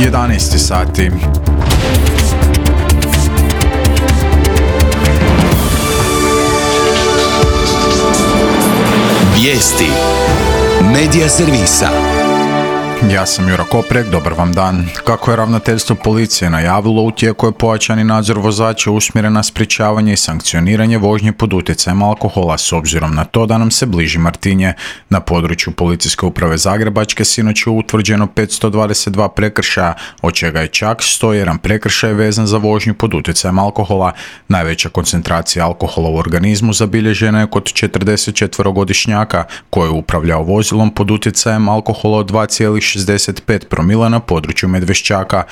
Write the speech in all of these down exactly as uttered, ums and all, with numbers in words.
jedanaest sati. Vijesti Medija servisa. Ja sam Jura Koprek, dobar vam dan. Kako je ravnateljstvo policije najavilo, u tijeku je pojačani nadzor vozača usmjeren na sprječavanje i sankcioniranje vožnje pod utjecajem alkohola s obzirom na to da nam se bliži Martinje. Na području Policijske uprave Zagrebačke sinoć je utvrđeno petsto dvadeset dva prekršaja, od čega je čak sto jedan prekršaj vezan za vožnju pod utjecajem alkohola. Najveća koncentracija alkohola u organizmu zabilježena je kod četrdesetčetverogodišnjaka koji je upravljao vozilom pod utjecajem alkohola od dva zarez šezdeset pet promila na području Medveščaka.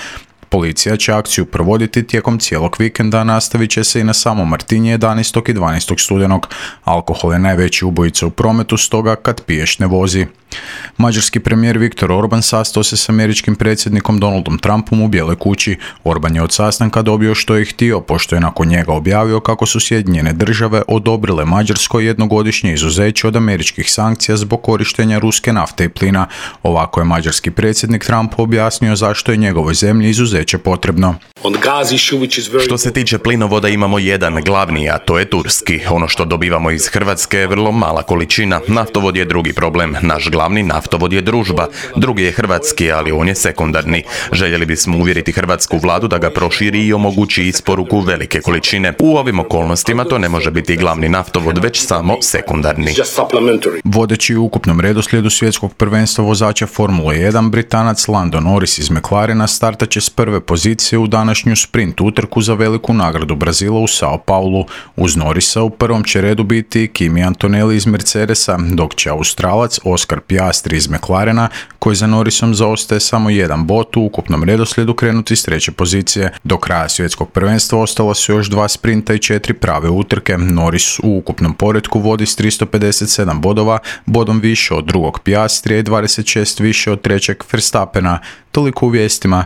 Policija će akciju provoditi tijekom cijelog vikenda, nastavit će se i na samo Martinje jedanaestog i dvanaestog studenog. Alkohol je najveći ubojica u prometu, stoga kad piješ ne vozi. Mađarski premijer Viktor Orban sastao se s američkim predsjednikom Donaldom Trumpom u Bijeloj kući. Orban je od sastanka dobio što je htio, pošto je nakon njega objavio kako su Sjedinjene države odobrile Mađarskoj jednogodišnje izuzeće od američkih sankcija zbog korištenja ruske nafte i plina. Ovako je mađarski predsjednik Trump objasnio zašto je njegovoj zemlji izuzeće potrebno. Što se tiče plinovoda imamo jedan glavni, a to je turski. Ono što dobivamo iz Hrvatske je vrlo mala količina. Naftovod je drugi problem. Naš glavni naftovod je Družba. Drugi je hrvatski, ali on je sekundarni. Željeli bismo uvjeriti hrvatsku vladu da ga proširi i omogući isporuku velike količine. U ovim okolnostima to ne može biti glavni naftovod, već samo sekundarni. Vodeći u ukupnom redoslijedu svjetskog prvenstva vozača Formule jedan, Britanac Lando Norris iz McLarena startat će s prve pozicije u današnju sprint utrku za veliku nagradu Brazila u Sao Paulu. Uz Norrisa u prvom će redu biti Kimi Antonelli iz Mercedesa, dok će Australac Oscar Piastri iz McLarena, koji za Norrisom zaostaje samo jedan bod, u ukupnom redoslijedu krenuti s treće pozicije. Do kraja svjetskog prvenstva ostala su još dva sprinta i četiri prave utrke. Norris u ukupnom poretku vodi s tristo pedeset sedam bodova, bodom više od drugog Piastrija i dvadeset šest više od trećeg Verstappena. Toliko u vijestima.